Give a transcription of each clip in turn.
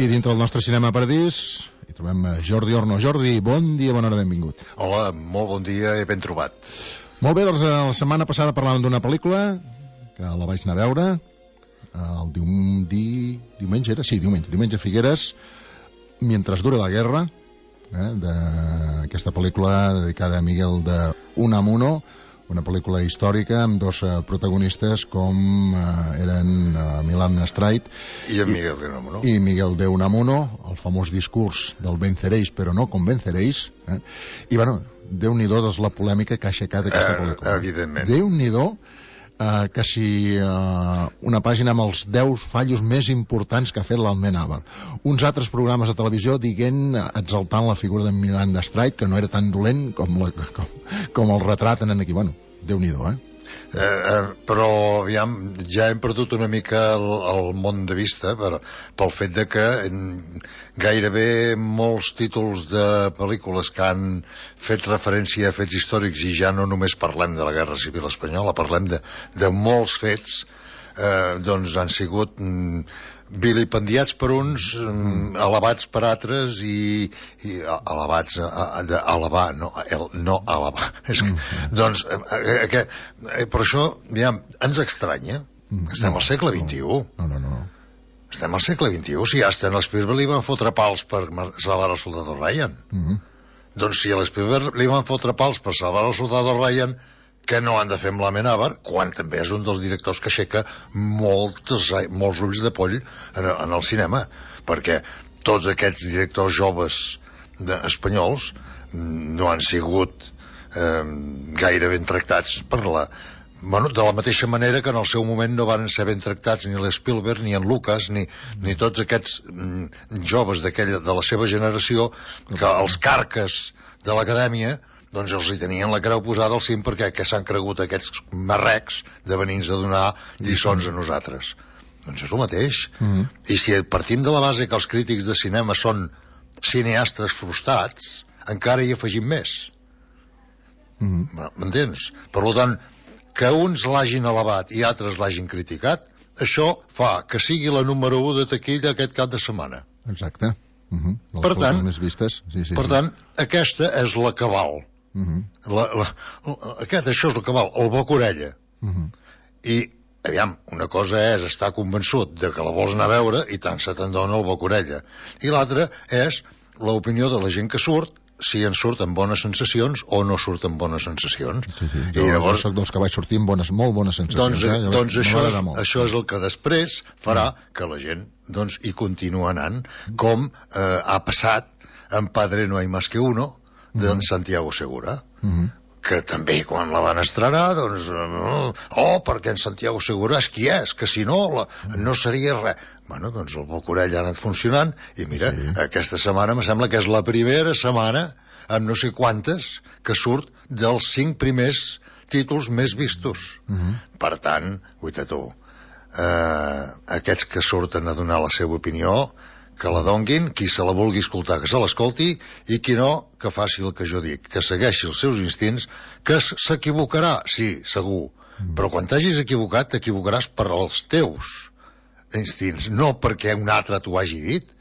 Aquí dintre del nostre Cinema Paradís hi trobem Jordi Orno. Jordi, bon dia, bona hora, benvingut. Hola, molt bon dia i ben trobat. Molt bé, doncs la setmana passada parlàvem d'una pel·lícula que la vaig anar a veure el diumenge era? Sí, diumenge a Figueres, Mientras dure la guerra, d'aquesta pel·lícula dedicada a Miguel de Unamuno, una pel·lícula històrica amb dos protagonistes com eren Milán Astrait i en Miguel de Unamuno. I Miguel de Unamuno, el famós discurs del venceréis però no convenceréis, i bueno, Déu-n'hi-do doncs la polèmica que ha aixecat aquesta pel·lícula. Evidentment. Déu-n'hi-do que si una pàgina amb els 10 fallos més importants que ha fet l'Almenàbar. Uns altres programes de televisió exaltant la figura de Milán Astrait, que no era tan dolent com el retraten aquí. Bueno, Déu-n'hi-do, però aviam, ja hem perdut una mica el món de vista pel fet de que gairebé molts títols de pel·lícules que han fet referència a fets històrics, i ja no només parlem de la Guerra Civil Espanyola, parlem de molts fets, doncs han sigut vilipendiats per uns, alabats per altres, i alabats alabar, no alabar. Doncs per això, aviam, ens estranya. Estem al segle XXI. No. Estem al segle XXI. Si a Steven Spielberg li van fotre pals per salvar el soldado Ryan. Doncs si a l'Spielberg li van fotre pals per salvar el soldado Ryan, que no han de fer amb l'Amenàbar, quan també és un dels directors que aixeca molts ulls de poll en el cinema, perquè tots aquests directors joves espanyols no han sigut gaire ben tractats de la mateixa manera que en el seu moment no van ser ben tractats ni l'Spielberg, ni en Lucas, ni tots aquests joves de la seva generació, que els carques de l'acadèmia doncs els hi tenien la creu posada al cim, perquè s'han cregut aquests marrecs de venir-nos a donar lliçons a nosaltres. Doncs és el mateix. I si partim de la base que els crítics de cinema són cineastes frustrats, encara hi afegim més. M'entens? Per tant, que uns l'hagin alabat i altres l'hagin criticat, això fa que sigui la número 1 de taquilla aquest cap de setmana. Exacte. Per tant, aquesta és la cabal. Això és el que val, el boca-orella. I, aviam, una cosa és estar convençut de que la vols anar a veure i tant se te'n dona el boca-orella, i l'altra és l'opinió de la gent que surt, si en surt amb bones sensacions o no surt amb bones sensacions. I llavors soc dels que vaig sortir amb molt bones sensacions. Doncs això és el que després farà que la gent hi continua anant, com ha passat en Padre no hay más que uno, d'en Santiago Segura, que també quan la van estrenar perquè en Santiago Segura és qui és, que si no no seria res. Bueno, doncs el boca-orella ha anat funcionant, i mira, aquesta setmana em sembla que és la primera setmana amb no sé quantes que surt dels 5 primers títols més vistos. Per tant, guaita tu, aquests que surten a donar la seva opinió, que la donguin, qui se la vulgui escoltar que se l'escolti, i qui no, que faci el que jo dic, que segueixi els seus instints, que s'equivocarà, sí, segur, però quan t'hagis equivocat t'equivocaràs per als teus instints, no perquè un altre t'ho hagi dit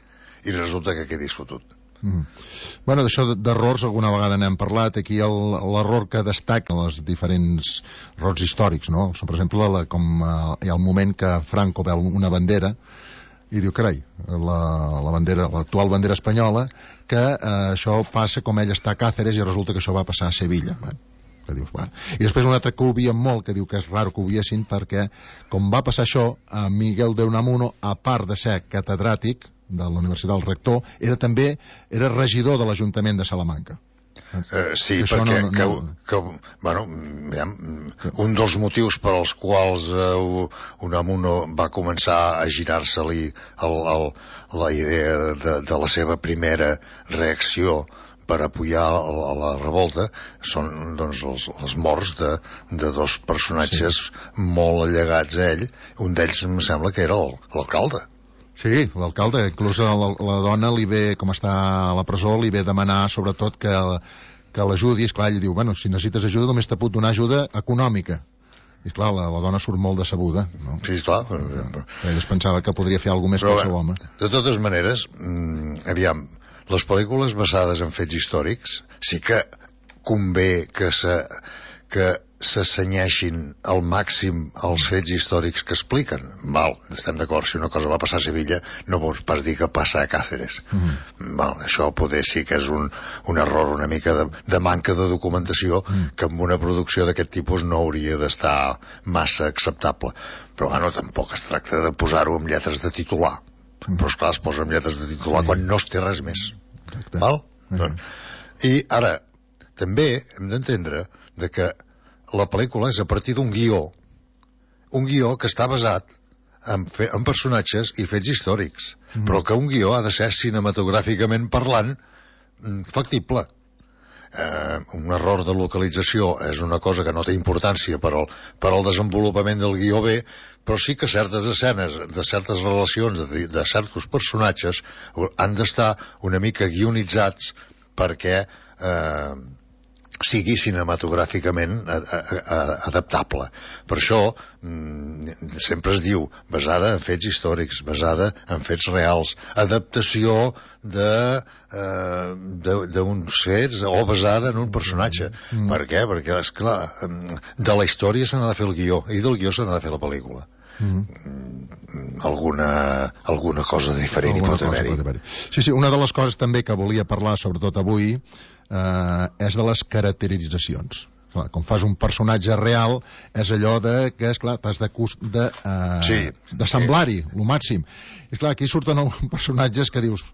i resulta que quedis fotut. Bueno, d'això d'errors alguna vegada n'hem parlat. Aquí l'error que destaca els diferents errors històrics, no? Per exemple, com hi ha el moment que Franco veu una bandera i diu, carai, l'actual bandera espanyola, que això passa com ell està a Càceres i resulta que això va passar a Sevilla. Que dius, bueno. I després un altre que ho obvien molt, que diu que és raro que ho obviessin, perquè com va passar això, a Miguel de Unamuno, a part de ser catedràtic de la Universitat del Rector, era regidor de l'Ajuntament de Salamanca. Sí, perquè un dels motius per als quals Unamuno va començar a girar-se-li la idea de la seva primera reacció per apoyar la revolta són les morts de dos personatges molt allegats a ell. Un d'ells em sembla que era l'alcalde. Sí, l'alcalde, inclús la dona li ve, com està a la presó, li ve demanar sobretot que l'ajudi. Esclar, ell diu, bueno, si necessites ajuda només te puc donar ajuda econòmica. I clar, la dona surt molt decebuda, no? Sí, clar. Ell es pensava que podria fer alguna cosa més que el seu home. De totes maneres, aviam, les pel·lícules basades en fets històrics sí que convé que s'assenyeixin al màxim els fets històrics que expliquen. Val, estem d'acord, si una cosa va passar a Sevilla no vols pas dir que passa a Càceres. Val, això poder sí que és un error una mica de manca de documentació que en una producció d'aquest tipus no hauria d'estar massa acceptable. Però bueno, tampoc es tracta de posar-ho amb lletres de titular. Però esclar, es posa amb lletres de titular quan no es té res més. Val? I ara, també hem d'entendre que la pel·lícula és a partir d'un guió que està basat en personatges i fets històrics, però que un guió ha de ser cinematogràficament parlant factible. Un error de localització és una cosa que no té importància per al desenvolupament del guió bé, però sí que certes escenes de certes relacions de certs personatges han d'estar una mica guionitzats perquè sigui cinematogràficament adaptable. Per això sempre es diu basada en fets històrics, basada en fets reals, adaptació d'uns fets o basada en un personatge. Per què? Perquè, esclar, de la història se n'ha de fer el guió i del guió se n'ha de fer la pel·lícula. Alguna cosa diferent hi pot haver-hi. Sí, una de les coses també que volia parlar, sobretot avui, és de les caracteritzacions. Clar, com fas un personatge real, és allò que, esclar, t'has de semblar-hi, el màxim. I clar, aquí surten personatges que dius,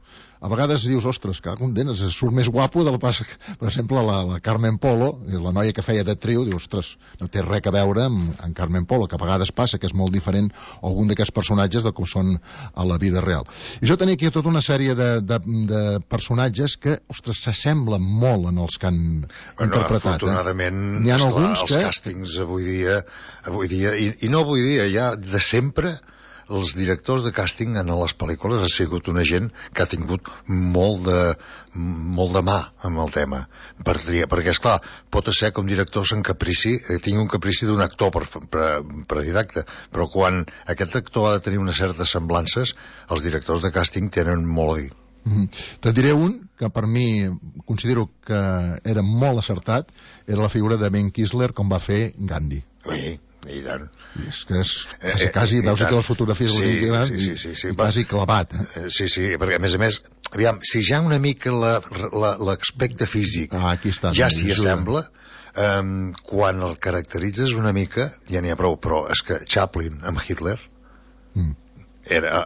a vegades dius, ostres, que condenes, surt més guapo del pas, per exemple, la Carmen Polo, la noia que feia d'actriu, dius, ostres, no té res a veure amb Carmen Polo, que a vegades passa que és molt diferent algun d'aquests personatges del que són a la vida real. I jo tenia aquí tota una sèrie de personatges que, ostres, s'assemblen molt en els que han interpretat. Afortunadament, n'hi ha alguns els càstings avui dia, i no avui dia, ja de sempre, els directors de càsting en les pel·lícules ha sigut una gent que ha tingut molt de mà amb el tema per triar, perquè esclar, pot ser que un director tingui un caprici d'un actor predidacte, però quan aquest actor ha de tenir unes certes semblances, els directors de càsting tenen molt a dir. Te'n diré un que per mi considero que era molt acertat, era la figura de Ben Kingsley com va fer Gandhi. I tant. És que és quasi, veus aquí les fotografies i quasi clavat. Sí, perquè a més, aviam, si ja una mica l'aspecte físic ja s'hi assembla, quan el caracteritzes una mica ja n'hi ha prou, però és que Chaplin amb Hitler era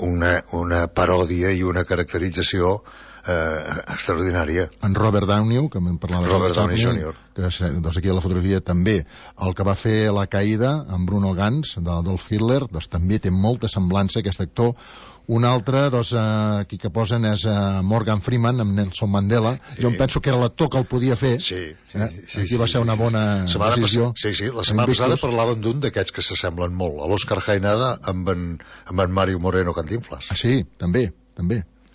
una paròdia i una caracterització extraordinària. En Robert Downey, que me'n parlava, Robert Downey Jr., que doncs aquí a la fotografia també, el que va fer La caïda amb Bruno Ganz d'Adolf Hitler, doncs també té molta semblança aquest actor. Un altre, doncs, aquí que posen és Morgan Freeman amb Nelson Mandela. Jo em penso que era l'actor que el podia fer. Aquí va ser una bona decisió. La setmana passada parlàvem d'un d'aquests que s'assemblen molt, a l'Òscar Jaenada amb en Mario Moreno Cantinflas. Sí, també.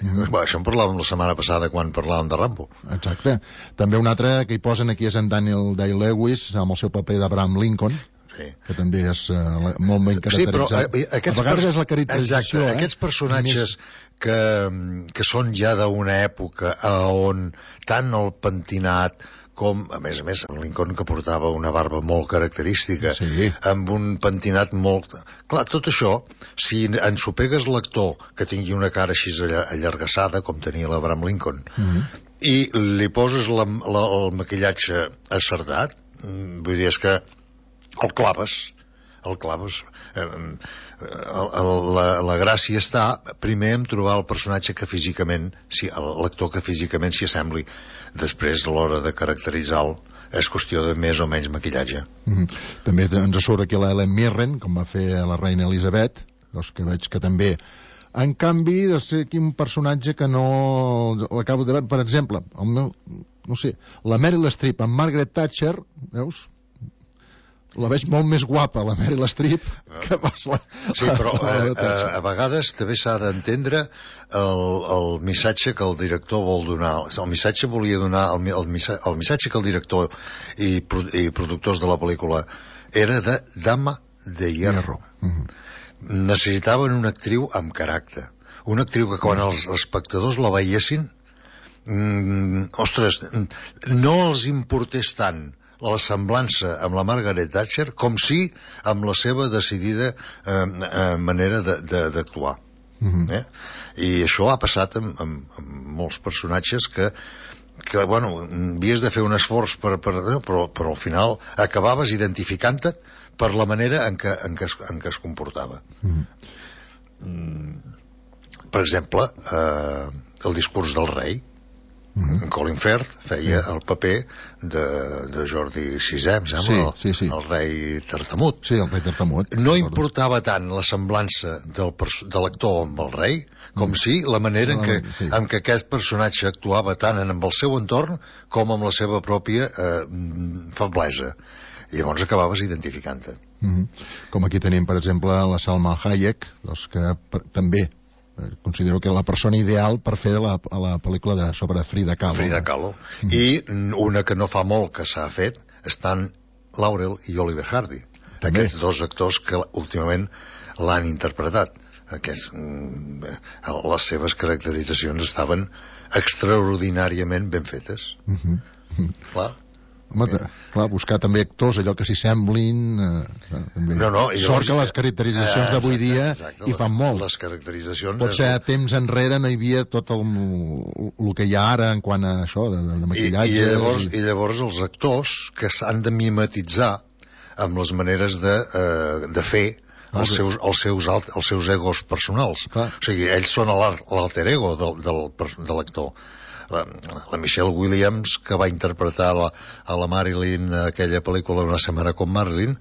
Això en parlàvem la setmana passada quan parlàvem de Rambo. Exacte. També un altre que hi posen aquí és en Daniel Day-Lewis amb el seu paper d'Abraham Lincoln, que també és molt ben caracteritzat. A vegades és la caracterització. Aquests personatges que són ja d'una època on tant el pentinat com, a més, en Lincoln, que portava una barba molt característica, amb un pentinat molt... Clar, tot això, si ensopegues l'actor que tingui una cara així allargassada, com tenia l'Abraham Lincoln, i li poses el maquillatge acertat, vull dir, és que el claves. La gràcia està primer en trobar el personatge que físicament, l'actor que físicament s'hi assembli. Després, a l'hora de caracteritzar-lo, és qüestió de més o menys maquillatge. També ens surt aquí l'Helen Mirren, com va fer la reina Elisabet, doncs que veig que també... En canvi, és aquí un personatge que no l'acabo de veure, per exemple, no sé, la Meryl Streep amb Margaret Thatcher, veus? la veig molt més guapa, la Meryl Streep, que pas la... Sí, però a vegades també s'ha d'entendre el missatge que el director vol donar. El missatge volia donar, el missatge que el director i productors de la pel·lícula era de dama de hierro. Necessitaven una actriu amb caràcter. Una actriu que quan els espectadors la veiessin, ostres, no els importés tant la semblança amb la Margaret Thatcher com si amb la seva decidida manera d'actuar. I això ha passat amb molts personatges que bueno, havies de fer un esforç però al final acabaves identificant-te per la manera en què es comportava. Per exemple, el discurs del rei. Colin Firth feia el paper de Jordi VI, em sembla, el rei tartamut. Sí, el rei tartamut. No importava tant la semblança de l'actor amb el rei com si la manera en què aquest personatge actuava tant amb el seu entorn com amb la seva pròpia feblesa. I llavors acabaves identificant-te. Com aquí tenim, per exemple, la Salma Hayek, que també considero que la persona ideal per fer la pel·lícula sobre Frida Kahlo. Frida Kahlo. I una que no fa molt que s'ha fet estan Laurel i Oliver Hardy. Aquests dos actors que últimament l'han interpretat. Les seves caracteritzacions estaven extraordinàriament ben fetes. Clar. Home, clar, buscar també actors allò que s'hi semblin, sort que les caracteritzacions d'avui dia hi fan molt. Les caracteritzacions... Potser temps enrere no hi havia tot el que hi ha ara en quant a això de maquillatge. I llavors els actors que s'han de mimetitzar amb les maneres de fer els seus egos personals. O sigui, ells són l'alter ego de l'actor. La Michelle Williams, que va interpretar a la Marilyn aquella pel·lícula Una setmana com Marilyn,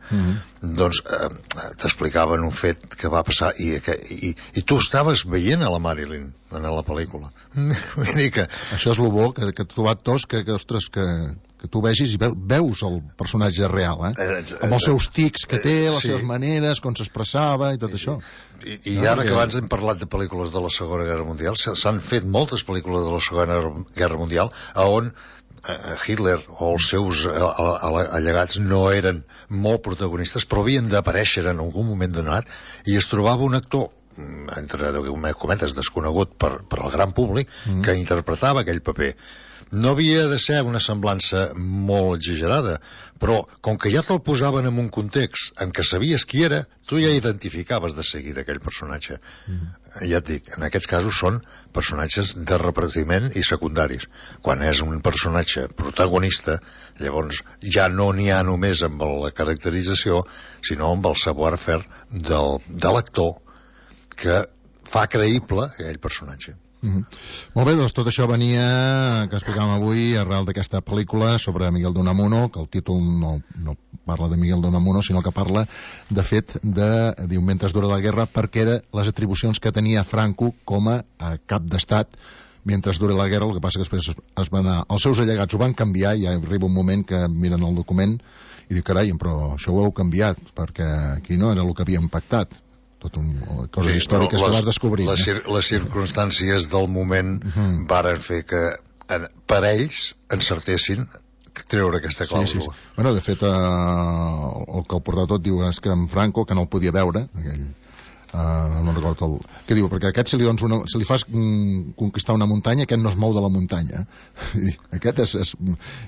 doncs t'explicaven un fet que va passar i tu estaves veient a la Marilyn en la pel·lícula. Això és el bo, que he trobat tots que tu vegis i veus el personatge real, amb els seus tics que té, les seves maneres, com s'expressava i tot això. I ara que abans hem parlat de pel·lícules de la Segona Guerra Mundial, s'han fet moltes pel·lícules de la Segona Guerra Mundial on Hitler o els seus allegats no eren molt protagonistes, però havien d'aparèixer en algun moment donat, i es trobava un actor, entre cometes, desconegut per al gran públic, que interpretava aquell paper. No havia de ser una semblança molt exagerada, però com que ja te'l posaven en un context en què sabies qui era, tu ja identificaves de seguida aquell personatge. Ja et dic, en aquests casos són personatges de repartiment i secundaris. Quan és un personatge protagonista, llavors ja no n'hi ha només amb la caracterització, sinó amb el savoir-faire de l'actor que fa creïble aquell personatge. Molt bé, doncs tot això venia, que explicàvem avui, arrel d'aquesta pel·lícula sobre Miguel de Unamuno, que el títol no parla de Miguel de Unamuno, sinó que parla, de fet, diu, mentre dura la guerra, perquè era les atribucions que tenia Franco com a cap d'estat mentre dura la guerra. El que passa que després es van anar, els seus allegats ho van canviar, i ja arriba un moment que miren el document i diu, carai, però això ho heu canviat, perquè aquí no era el que havíem pactat. Coses històriques que vas descobrir. Les circumstàncies del moment varen fer que per ells encertessin treure aquesta clàusula. Bueno, de fet, el que el portava tot diu és que en Franco, que no el podia veure, no recordo què diu, perquè a aquest si li fas conquistar una muntanya, aquest no es mou de la muntanya. Aquest és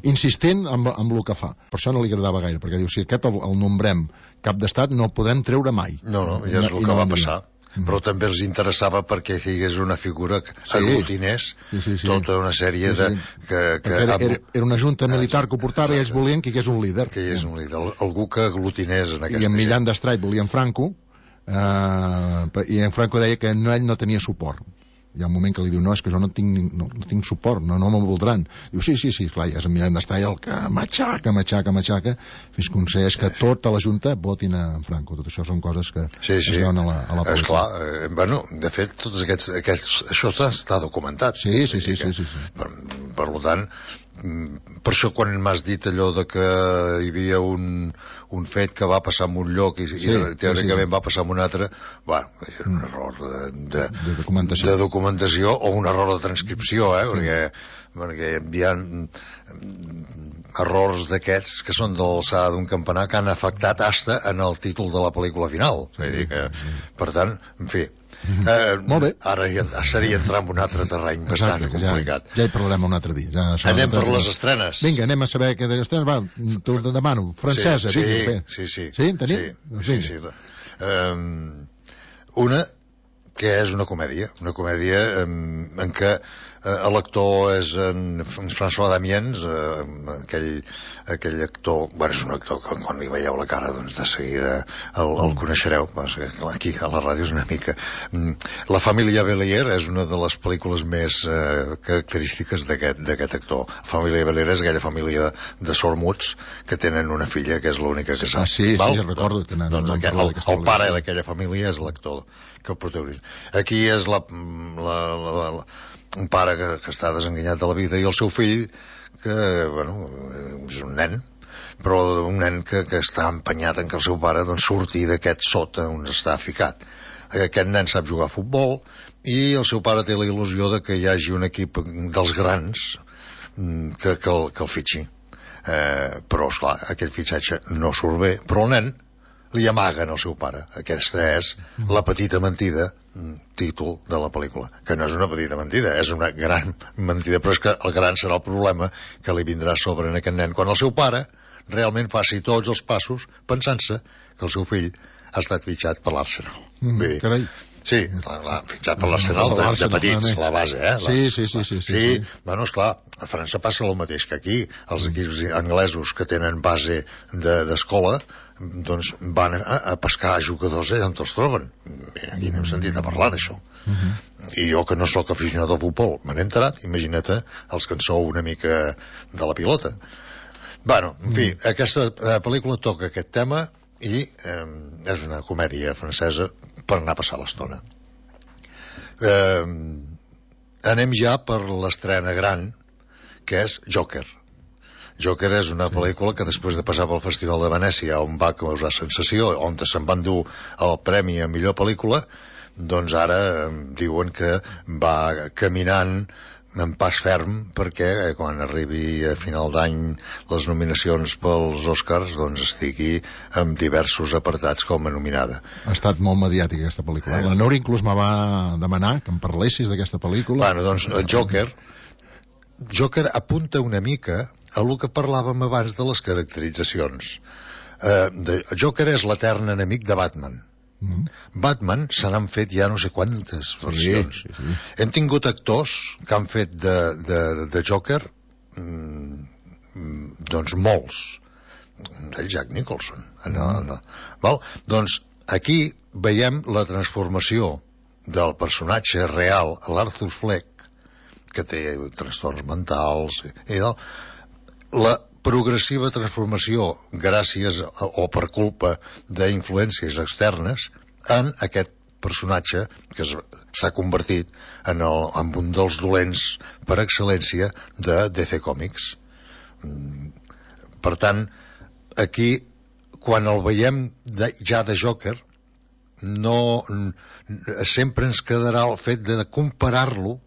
insistent amb el que fa. Per això no li agradava gaire, perquè diu, si aquest el nombrem cap d'estat no el podem treure mai. No, ja és el que va passar. Però també els interessava perquè hi hagués una figura que aglutinés tota una sèrie de... Era una junta militar que ho portava i ells volien que hi hagués un líder. Que hi hagués un líder, algú que aglutinés en aquesta... I en Millan d'Estrait volien Franco, i en Franco deia que ell no tenia suport. Hi ha un moment que li diu, no, és que jo no tinc suport, no me'n voldran. Diu, sí, clar, ja és en Millan d'Estrait el que matxaca, fins que aconsegueix que tota la Junta votin a Franco. Tot això són coses que es veuen a la pel·lícula. Esclar, bueno, de fet, tots aquests això està documentat. Sí. Per tant, per això quan m'has dit allò de que hi havia un fet que va passar en un lloc i teòricament va passar en un altre, és un error de documentació o un error de transcripció, perquè hi ha errors d'aquests que són de l'alçada d'un campanar que han afectat hasta en el títol de la pel·lícula final. Vull dir que, per tant, en fi, molt bé. Ara seria entrar en un altre terreny bastant complicat. Ja hi parlarem un altre dia. Anem per les estrenes. Vinga, anem a saber què d'estrenes. Va, t'ho demano. Francesa, vinga. Sí. Sí, en tenim? Sí. Una que és una comèdia en què l'actor és en François Damiens, aquell actor, és un actor que quan li veieu la cara doncs de seguida el coneixereu, aquí a la ràdio és una mica. La família Bélier és una de les pel·lícules més característiques d'aquest actor. La família Bélier és aquella família de sormuts que tenen una filla que és l'única que sap. Sí, recordo. Doncs el pare d'aquella família és l'actor que el protagonista. Aquí és un pare que està desenganyat de la vida i el seu fill que, és un nen, però un nen que està empenyat en que el seu pare surti d'aquest sota on està ficat. Aquest nen sap jugar a futbol i el seu pare té la il·lusió de que hi hagi un equip dels grans que el fitxi. Però, esclar, aquest fitxatge no surt bé, però el nen li amaguen al seu pare. Aquesta és La petita mentida, títol de la pel·lícula, que no és una petita mentida, és una gran mentida, però és que el gran serà el problema que li vindrà a sobre en aquest nen quan el seu pare realment faci tots els passos pensant-se que el seu fill ha estat fitxat per l'Arsenal. Carai. Sí, fitxat per l'Arsenal de petits, la base, Sí. Esclar, a França passa el mateix que aquí. Els equips anglesos que tenen base d'escola doncs van a pescar jugadors allà on els troben. Aquí n'hem sentit a parlar d'això. I jo, que no sóc aficionat al futbol, me n'he enterat. Imagina't els que en sou una mica de la pilota. En fi, aquesta pel·lícula toca aquest tema i és una comèdia francesa per anar a passar l'estona. Anem ja per l'estrena gran, que és Joker. Joker és una pel·lícula que després de passar pel Festival de Venècia, on va causar sensació, on se'n van dur el premi a millor pel·lícula, doncs ara diuen que va caminant en pas ferm perquè quan arribi a final d'any les nominacions pels Oscars doncs estigui en diversos apartats com a nominada. Ha estat molt mediàtica aquesta pel·lícula. La Nora inclús me va demanar que em parlessis d'aquesta pel·lícula. Doncs Joker apunta una mica a el que parlàvem abans de les caracteritzacions. Joker és l'etern enemic de Batman. Batman se n'han fet ja no sé quantes versions. Sí. Hem tingut actors que han fet de Joker doncs molts. El Jack Nicholson. Doncs aquí veiem la transformació del personatge real, l'Arthur Fleck, que té trastorns mentals i la progressiva transformació gràcies o per culpa d'influències externes en aquest personatge que s'ha convertit en un dels dolents per excel·lència de DC Comics. Per tant, aquí quan el veiem ja de Joker sempre ens quedarà el fet de comparar-lo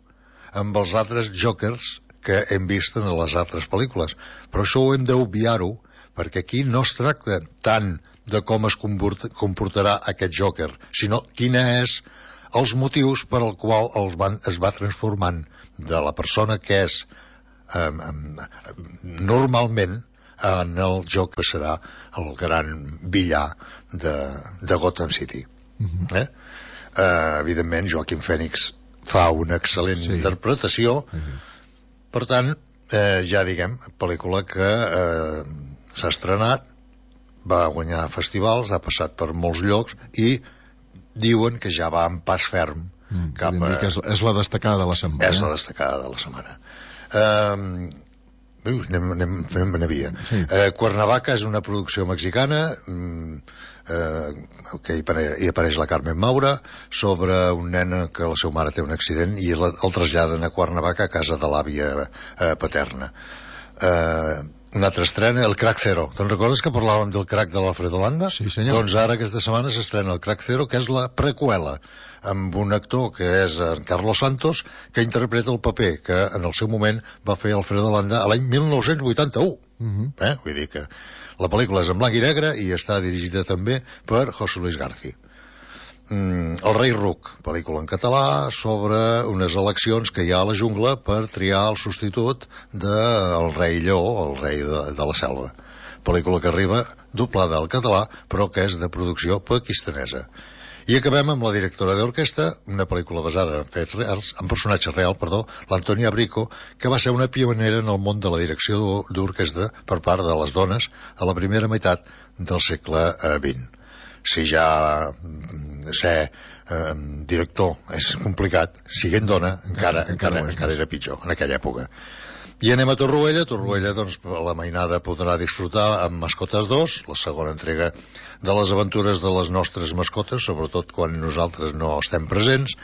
amb els altres Jokers que hem vist en les altres pel·lícules. Però això ho hem d'obviar-ho, perquè aquí no es tracta tant de com es comportarà aquest Joker, sinó quina és els motius per al qual es va transformant de la persona que és normalment en el joc que serà el gran villà de Gotham City. Evidentment, Joaquin Phoenix fa una excel·lent interpretació. Per tant, ja diguem, pel·lícula que s'ha estrenat, va guanyar festivals, ha passat per molts llocs i diuen que ja va en pas ferm cap a... És la destacada de la setmana. És la destacada de la setmana. Anem a via. Cuernavaca és una producció mexicana que hi apareix la Carmen Maura sobre un nen que la seva mare té un accident i el traslladen a Cuernavaca a casa de l'àvia paterna. Una altra estrena, el Crack Zero. Te'n recordes que parlàvem del crack de l'Alfredo Landa? Sí, senyor. Doncs ara aquesta setmana s'estrena el Crack Zero, que és la preqüela, amb un actor que és en Carlos Santos, que interpreta el paper que en el seu moment va fer Alfredo Landa a l'any 1981. Vull dir que la pel·lícula és en blanc i negre i està dirigida també per José Luis García. El rei Ruc, pel·lícula en català sobre unes eleccions que hi ha a la jungla per triar el substitut del rei Lleó, el rei de la selva. Pel·lícula que arriba doblada al català, però que és de producció pakistanesa. I acabem amb la directora d'orquestra, una pel·lícula basada en fets reals, en personatge real, l'Antònia Brico, que va ser una pionera en el món de la direcció d'orquestra per part de les dones a la primera meitat del segle XX. Si ja ser director és complicat, siguent dona encara era pitjor en aquella època. I anem a Torroella, doncs la mainada podrà disfrutar amb Mascotes 2, la segona entrega de les aventures de les nostres mascotes, sobretot quan nosaltres no estem presents,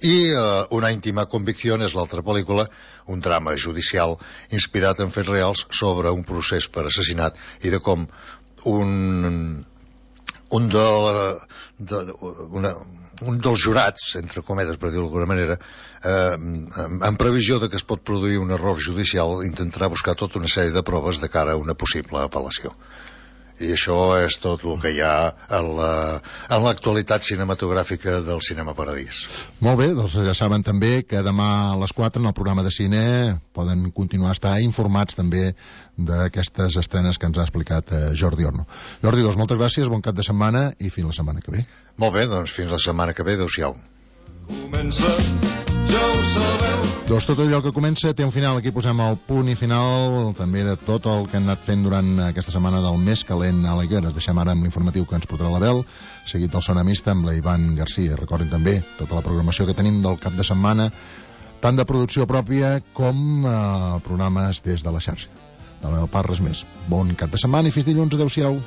i Una íntima convicció és l'altra pel·lícula, un drama judicial inspirat en fets reals sobre un procés per assassinat i de com un dels jurats, entre cometes per dir-ho d'alguna manera, en previsió de que es pot produir un error judicial, intentarà buscar tota una sèrie de proves de cara a una possible apel·lació. I això és tot el que hi ha en l'actualitat cinematogràfica del Cinema Paradís. Molt bé, doncs ja saben també que demà a les 4 en el programa de cine poden continuar a estar informats també d'aquestes estrenes que ens ha explicat Jordi Orno. Jordi, doncs moltes gràcies, bon cap de setmana i fins la setmana que ve. Molt bé, doncs fins la setmana que ve, adéu-siau. Comença, ja ho sabeu. Doncs tot allò que comença té un final. Aquí posem el punt i final també de tot el que han anat fent durant aquesta setmana del més calent a la Higuera. Ens deixem ara amb l'informatiu que ens portarà l'Abel, seguit del Sonamista amb la Ivan Garcia. Recordin també tota la programació que tenim del cap de setmana, tant de producció pròpia com programes des de la xarxa. De la meva part, res més. Bon cap de setmana i fins dilluns. Adéu-siau.